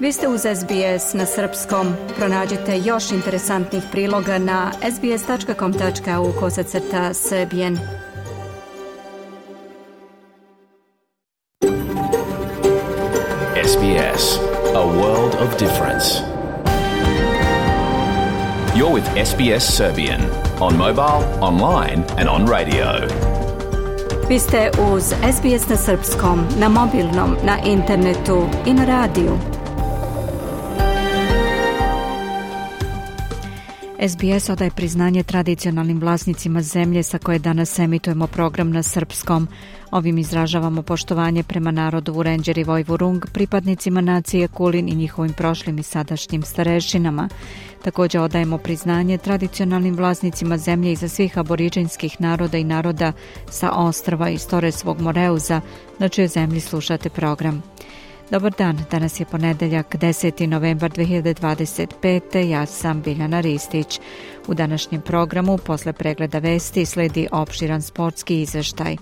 Vi ste uz SBS na srpskom. Pronađite još interesantnih priloga na sbs.com.au/srbijen. SBS, a world of difference. You're with SBS Serbian on mobile, online and on radio. Vi ste uz SBS na srpskom, na mobilnom, na internetu i na radiju. SBS odaje priznanje tradicionalnim vlasnicima zemlje sa koje danas emitujemo program na srpskom. Ovim izražavamo poštovanje prema narodu Vurenđer i Vojvurung, pripadnicima nacije Kulin i njihovim prošlim i sadašnjim starešinama. Također odajemo priznanje tradicionalnim vlasnicima zemlje i za svih aboriđinskih naroda i naroda sa ostrva iz Toresvog Moreuza, na čijoj zemlji slušate program. Dobar dan, danas je ponedeljak, 10. novembar 2025. Ja sam Biljana Ristić. U današnjem programu, posle pregleda vesti, sledi opširan sportski izveštaj.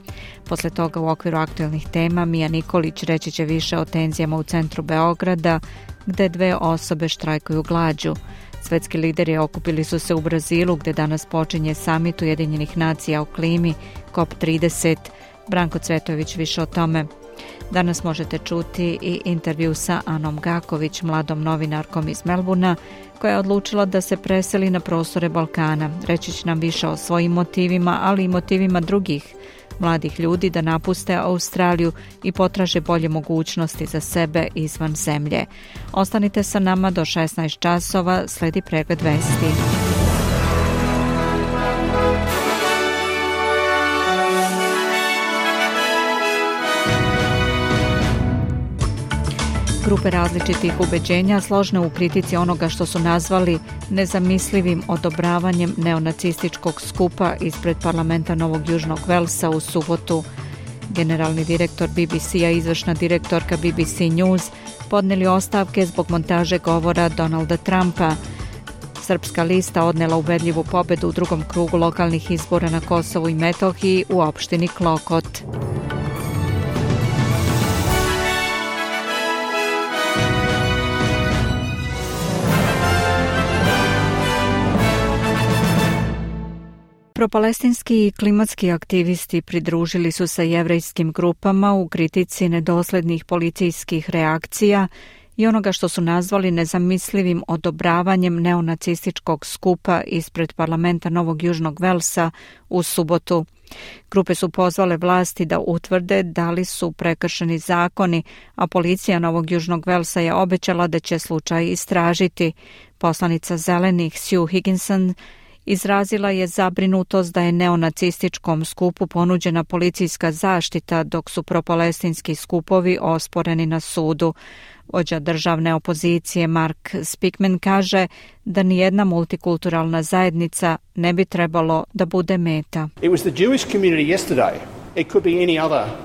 Posle toga u okviru aktuelnih tema Mija Nikolić reći će više o tenzijama u centru Beograda, gde 2 osobe štrajkuju glađu. Svetski lideri okupili su se u Brazilu, gde danas počinje samit Ujedinjenih nacija o klimi, COP30. Branko Cvetojević više o tome. Danas možete čuti i intervju sa Anom Gaković, mladom novinarkom iz Melburna, koja je odlučila da se preseli na prostore Balkana. Reći će nam više o svojim motivima, ali i motivima drugih mladih ljudi da napuste Australiju i potraže bolje mogućnosti za sebe izvan zemlje. Ostanite sa nama do 16 časova, sledi pregled vesti. Grupe različitih ubeđenja složne u kritici onoga što su nazvali nezamislivim odobravanjem neonacističkog skupa ispred parlamenta Novog Južnog Velsa u subotu. Generalni direktor BBC-a i izvršna direktorka BBC News podnijeli ostavke zbog montaže govora Donalda Trumpa. Srpska lista odnela ubedljivu pobedu u drugom krugu lokalnih izbora na Kosovu i Metohiji u opštini Klokot. Propalestinski i klimatski aktivisti pridružili su se jevrejskim grupama u kritici nedoslednih policijskih reakcija i onoga što su nazvali nezamislivim odobravanjem neonacističkog skupa ispred parlamenta Novog Južnog Velsa u subotu. Grupe su pozvale vlasti da utvrde da li su prekršeni zakoni, a policija Novog Južnog Velsa je obećala da će slučaj istražiti. Poslanica Zelenih Sue Higginson izrazila je zabrinutost da je neonacističkom skupu ponuđena policijska zaštita dok su propalestinski skupovi osporeni na sudu. Vođa državne opozicije Mark Speakman kaže da nijedna multikulturalna zajednica ne bi trebalo da bude meta.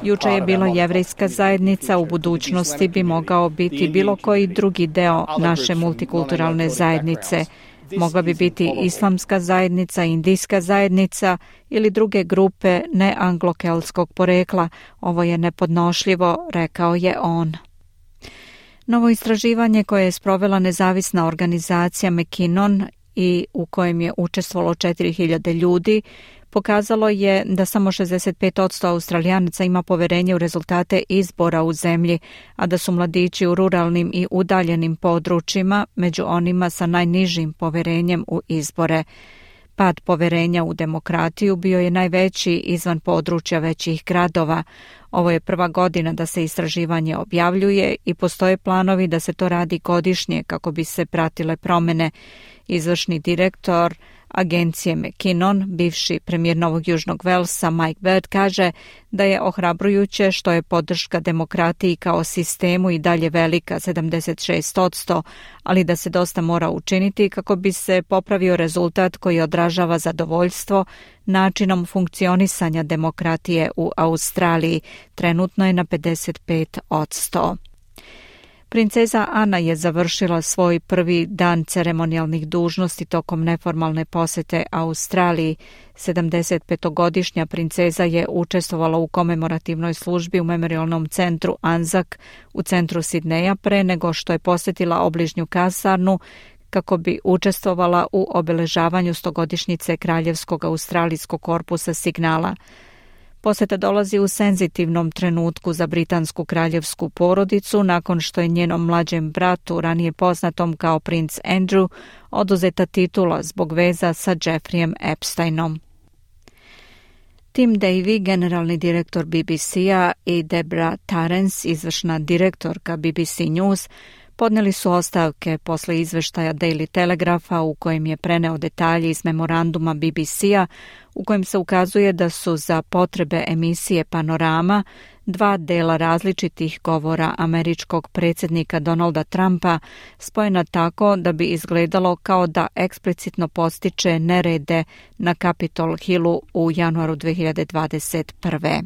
Juče je bila jevrejska zajednica, u budućnosti bi mogao biti bilo koji drugi deo naše multikulturalne zajednice. Mogla bi biti islamska zajednica, indijska zajednica ili druge grupe neanglokeltskog porekla. Ovo je nepodnošljivo, rekao je on. Novo istraživanje koje je sprovela nezavisna organizacija McKinnon i u kojem je učestvovalo 4000 ljudi, pokazalo je da samo 65% Australijanaca ima poverenje u rezultate izbora u zemlji, a da su mladići u ruralnim i udaljenim područjima među onima sa najnižim poverenjem u izbore. Pad poverenja u demokratiju bio je najveći izvan područja većih gradova. Ovo je prva godina da se istraživanje objavljuje i postoje planovi da se to radi godišnje kako bi se pratile promjene. Izvršni direktor agencije McKinnon, bivši premijer Novog Južnog Velsa Mike Baird, kaže da je ohrabrujuće što je podrška demokratiji kao sistemu i dalje velika, 76%, ali da se dosta mora učiniti kako bi se popravio rezultat koji odražava zadovoljstvo načinom funkcionisanja demokratije u Australiji. Trenutno je na 55%. Princeza Ana je završila svoj prvi dan ceremonijalnih dužnosti tokom neformalne posete Australiji. 75-godišnja princeza je učestvovala u komemorativnoj službi u memorialnom centru Anzac u centru Sidneja pre nego što je posjetila obližnju kasarnu kako bi učestvovala u obeležavanju 100-godišnjice Kraljevskog australijskog korpusa signala. Poseta dolazi u senzitivnom trenutku za britansku kraljevsku porodicu nakon što je njenom mlađem bratu, ranije poznatom kao princ Andrew, oduzeta titula zbog veza sa Jeffreyem Epsteinom. Tim Davy, generalni direktor BBC-a, i Deborah Tarrance, izvršna direktorka BBC News, podnijeli su ostavke posle izveštaja Daily Telegrapha u kojem je preneo detalje iz memoranduma BBC-a u kojem se ukazuje da su za potrebe emisije Panorama dva dela različitih govora američkog predsjednika Donalda Trumpa spojena tako da bi izgledalo kao da eksplicitno podstiče nerede na Capitol Hillu u januaru 2021.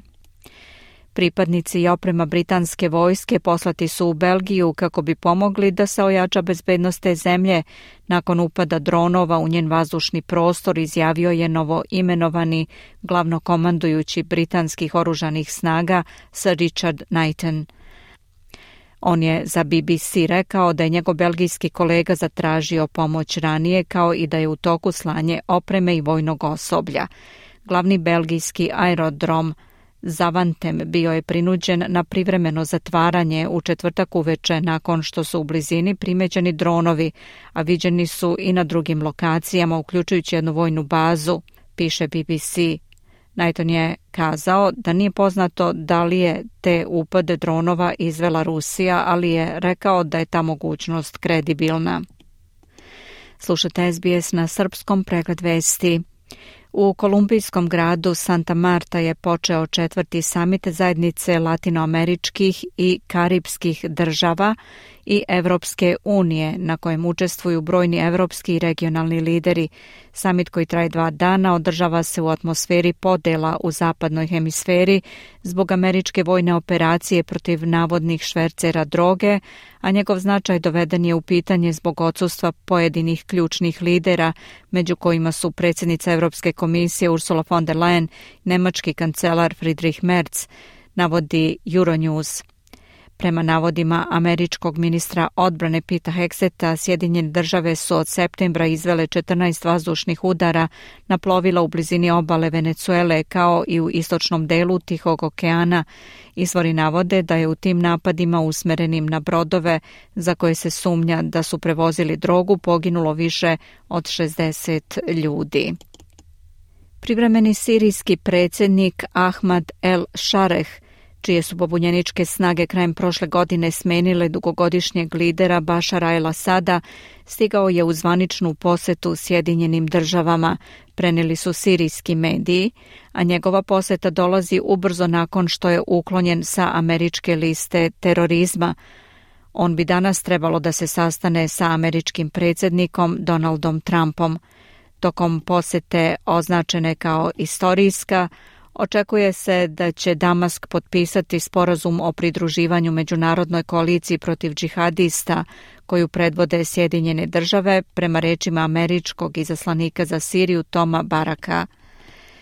Pripadnici i oprema britanske vojske poslati su u Belgiju kako bi pomogli da se ojača bezbednost te zemlje. Nakon upada dronova u njen vazdušni prostor, izjavio je novo imenovani glavnokomandujući britanskih oružanih snaga Sir Richard Knighton. On je za BBC rekao da je njegov belgijski kolega zatražio pomoć ranije, kao i da je u toku slanje opreme i vojnog osoblja. Glavni belgijski aerodrom Zavantem bio je prinuđen na privremeno zatvaranje u četvrtak uveče nakon što su u blizini primećeni dronovi, a viđeni su i na drugim lokacijama, uključujući jednu vojnu bazu, piše BBC. Knighton je kazao da nije poznato da li je te upade dronova izvela Rusija, ali je rekao da je ta mogućnost kredibilna. Slušate SBS na srpskom, pregled vesti. U kolumbijskom gradu Santa Marta je počeo 4. samit zajednice latinoameričkih i karipskih država i Evropske unije, na kojem učestvuju brojni evropski i regionalni lideri. Samit koji traje 2 dana održava se u atmosferi podela u zapadnoj hemisferi zbog američke vojne operacije protiv navodnih švercera droge, a njegov značaj doveden je u pitanje zbog odsustva pojedinih ključnih lidera, među kojima su predsjednica Europske komisije Ursula von der Leyen, nemački kancelar Friedrich Merz, navodi Euronews. Prema navodima američkog ministra odbrane Peta Hexeta, Sjedinjene države su od septembra izvele 14 vazdušnih udara na plovila u blizini obale Venecuele kao i u istočnom delu Tihog okeana. Izvori navode da je u tim napadima usmerenim na brodove za koje se sumnja da su prevozili drogu poginulo više od 60 ljudi. Privremeni sirijski predsjednik Ahmad el-Shareh, čije su pobunjeničke snage krajem prošle godine smenile dugogodišnjeg lidera Bašara el-Asada, stigao je u zvaničnu posetu Sjedinjenim državama, prenijeli su sirijski mediji, a njegova poseta dolazi ubrzo nakon što je uklonjen sa američke liste terorizma. On bi danas trebalo da se sastane sa američkim predsjednikom Donaldom Trumpom. Tokom posete označene kao istorijska, očekuje se da će Damask potpisati sporazum o pridruživanju međunarodnoj koaliciji protiv džihadista koju predvode Sjedinjene države, prema rečima američkog izaslanika za Siriju Toma Baraka.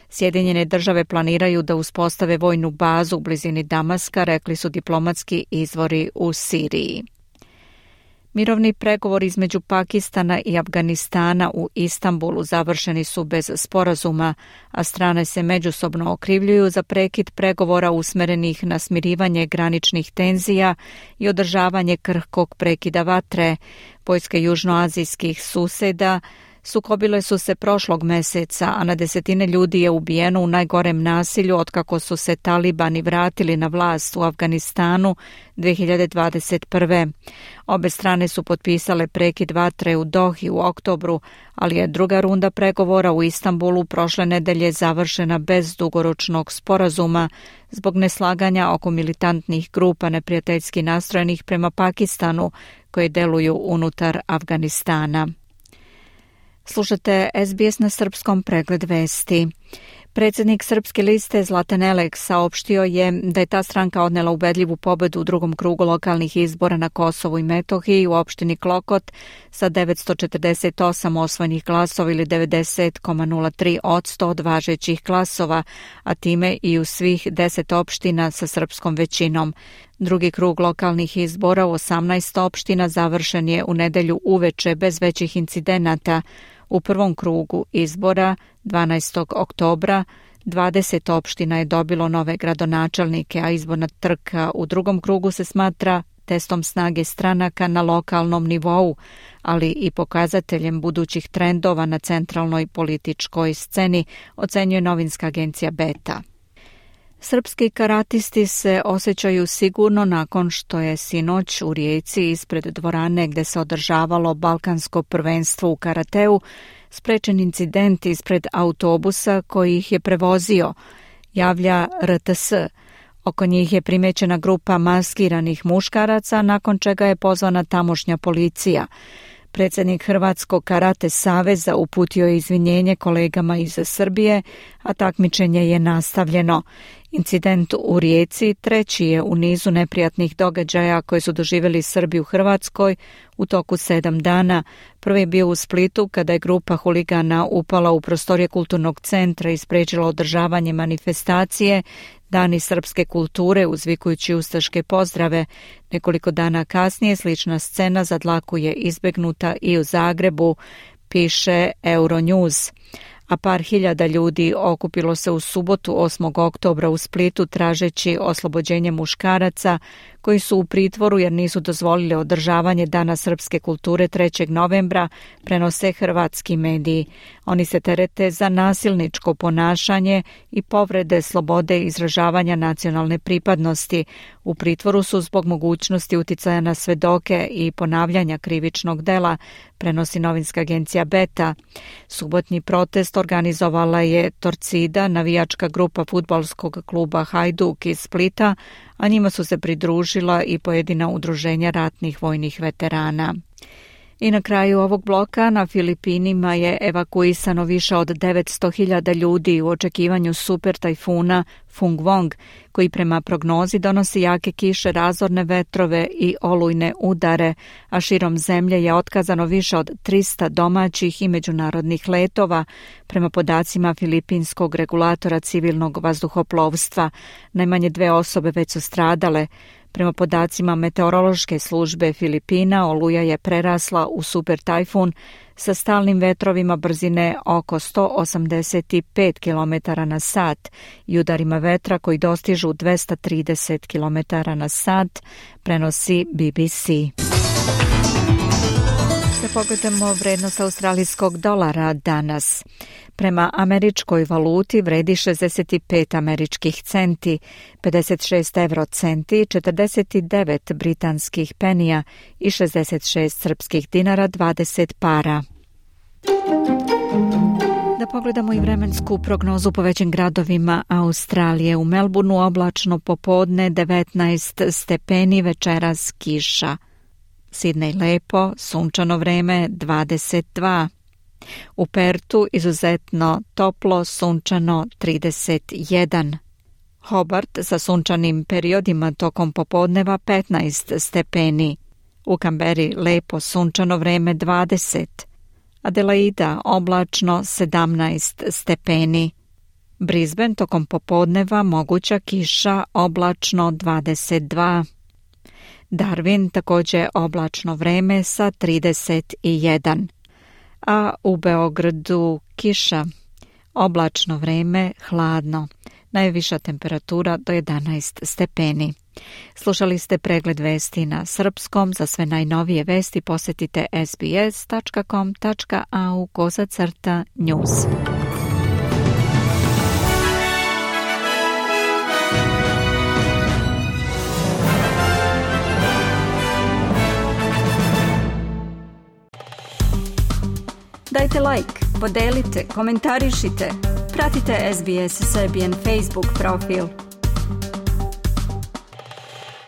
Sjedinjene države planiraju da uspostave vojnu bazu u blizini Damaska, rekli su diplomatski izvori u Siriji. Mirovni pregovori između Pakistana i Afganistana u Istanbulu završeni su bez sporazuma, a strane se međusobno okrivljuju za prekid pregovora usmerenih na smirivanje graničnih tenzija i održavanje krhkog prekida vatre. Vojske južnoazijskih suseda sukobile su se prošlog meseca, a na desetine ljudi je ubijeno u najgorem nasilju otkako su se talibani vratili na vlast u Afganistanu 2021. Obe strane su potpisale prekid vatre u Dohi u oktobru, ali je druga runda pregovora u Istanbulu prošle nedelje završena bez dugoročnog sporazuma zbog neslaganja oko militantnih grupa neprijateljski nastrojenih prema Pakistanu koje deluju unutar Afganistana. Slušate SBS na srpskom, pregled vesti. Predsjednik Srpske liste Zlatan Elek saopštio je da je ta stranka odnela ubedljivu pobedu u drugom krugu lokalnih izbora na Kosovu i Metohiji u opštini Klokot sa 948 osvojenih glasova ili 90,03% od važećih glasova, a time i u svih 10 opština sa srpskom većinom. Drugi krug lokalnih izbora u 18 opština završen je u nedelju uveče bez većih incidenata. U prvom krugu izbora 12. oktobra 20 opština je dobilo nove gradonačelnike, a izborna trka u drugom krugu se smatra testom snage stranaka na lokalnom nivou, ali i pokazateljem budućih trendova na centralnoj političkoj sceni, ocenjuje novinska agencija Beta. Srpski karatisti se osjećaju sigurno nakon što je sinoć u Rijeci ispred dvorane gde se održavalo balkansko prvenstvo u karateu sprečen incident ispred autobusa koji ih je prevozio, javlja RTS. Oko njih je primećena grupa maskiranih muškaraca, nakon čega je pozvana tamošnja policija. Predsjednik Hrvatskog karate saveza uputio je izvinjenje kolegama iz Srbije, a takmičenje je nastavljeno. Incident u Rijeci treći je u nizu neprijatnih događaja koje su doživjeli Srbi u Hrvatskoj u toku 7 dana. Prvi je bio u Splitu kada je grupa huligana upala u prostorije kulturnog centra i spriječila održavanje manifestacije Dani srpske kulture uzvikujući ustaške pozdrave. Nekoliko dana kasnije slična scena za dlaku je izbegnuta i u Zagrebu, piše Euronews. A par hiljada ljudi okupilo se u subotu 8. oktobra u Splitu tražeći oslobođenje muškaraca koji su u pritvoru jer nisu dozvolili održavanje Dana srpske kulture 3. novembra, prenose hrvatski mediji. Oni se terete za nasilničko ponašanje i povrede slobode izražavanja nacionalne pripadnosti. U pritvoru su zbog mogućnosti uticaja na svedoke i ponavljanja krivičnog dela, prenosi novinska agencija Beta. Subotnji protest organizovala je Torcida, navijačka grupa fudbalskog kluba Hajduk iz Splita, a njima su se pridružila i pojedina udruženja ratnih vojnih veterana. I na kraju ovog bloka na Filipinima je evakuisano više od 900.000 ljudi u očekivanju super tajfuna Fungwong, koji prema prognozi donosi jake kiše, razorne vetrove i olujne udare, a širom zemlje je otkazano više od 300 domaćih i međunarodnih letova, prema podacima filipinskog regulatora civilnog vazduhoplovstva. Najmanje 2 osobe već su stradale. Prema podacima meteorološke službe Filipina, oluja je prerasla u super tajfun sa stalnim vetrovima brzine oko 185 km na sat i udarima vetra koji dostižu 230 km na sat, prenosi BBC. Da pogledamo vrednost australijskog dolara danas. Prema američkoj valuti vredi 65 američkih centi, 56 eurocenti, 49 britanskih penija i 66 srpskih dinara 20 para. Da pogledamo i vremensku prognozu po većim gradovima Australije. U Melbourneu oblačno popodne 19 stepeni, večeras kiša. Sidney lepo, sunčano vreme 22. U Pertu izuzetno toplo, sunčano 31. Hobart sa sunčanim periodima tokom popodneva 15 stepeni. U Kamberi lepo, sunčano vreme 20. Adelaida oblačno 17 stepeni. Brisbane tokom popodneva moguća kiša, oblačno 22. Darwin također oblačno vreme sa 31. A u Beogradu kiša, oblačno vreme, hladno. Najviša temperatura do 11 stepeni. Slušali ste pregled vesti na srpskom. Za sve najnovije vesti posjetite sbs.com.au/news. Dajte like, podelite, komentarišite. Pratite SBS Serbian Facebook profil.